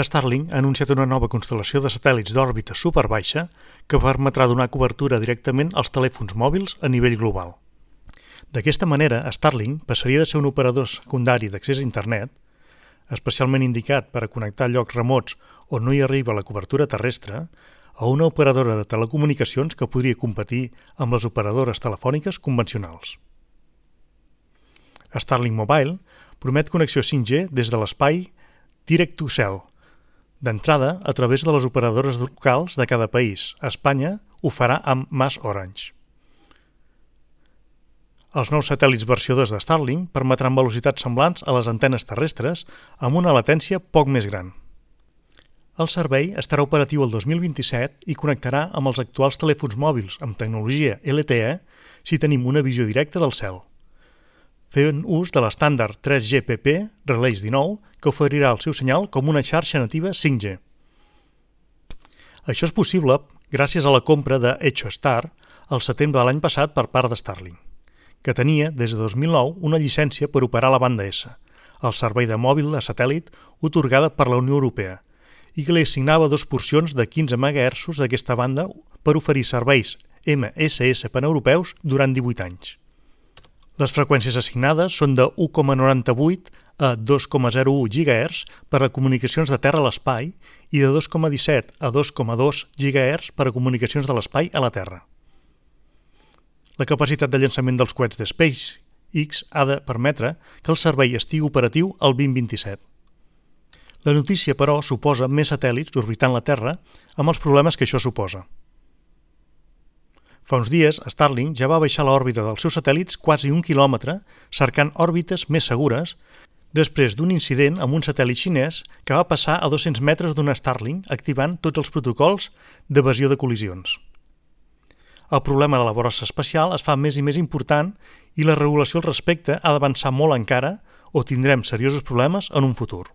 Starlink ha anunciat una nova constel·lació de satèl·lits d'òrbita superbaixa que permetrà donar cobertura directament als telèfons mòbils a nivell global. D'aquesta manera, Starlink passaria de ser un operador secundari d'accés a internet, especialment indicat per a connectar llocs remots on no hi arriba la cobertura terrestre, a una operadora de telecomunicacions que podria competir amb les operadores telefòniques convencionals. Starlink Mobile promet connexió 5G des de l'espai Direct to Cell, d'entrada a través de les operadores locals de cada país. A Espanya ho farà amb MasOrange. Els nous satèl·lits versió 2 de Starlink permetran velocitats semblants a les antenes terrestres amb una latència poc més gran. El servei estarà operatiu el 2027 i connectarà amb els actuals telèfons mòbils amb tecnologia LTE si tenim una visió directa del cel, fent ús de l'estàndard 3GPP Release 19 que oferirà el seu senyal com una xarxa nativa 5G. Això és possible gràcies a la compra de EchoStar al setembre de l'any passat per part de Starlink, que tenia des de 2009 una llicència per operar la banda S, el servei de mòbil de satèl·lit otorgada per la Unió Europea, i que li assignava 2 porcions de 15 MHz d'aquesta banda per oferir serveis MSS paneuropeus durant 18 anys. Les freqüències assignades són de 1,98 a 2,01 GHz per a comunicacions de terra a l'espai i de 2,17 a 2,2 GHz per a comunicacions de l'espai a la Terra. La capacitat de llançament dels coets de SpaceX ha de permetre que el servei estigui operatiu el 2027. La notícia, però, suposa més satèl·lits orbitant la Terra amb els problemes que això suposa. Fa uns dies, Starlink ja va baixar l'òrbita dels seus satèl·lits quasi 1 quilòmetre cercant òrbites més segures després d'un incident amb un satèl·lit xinès que va passar a 200 metres d'una Starlink activant tots els protocols d'evasió de col·lisions. El problema de la brossa espacial es fa més i més important i la regulació al respecte ha d'avançar molt encara o tindrem seriosos problemes en un futur.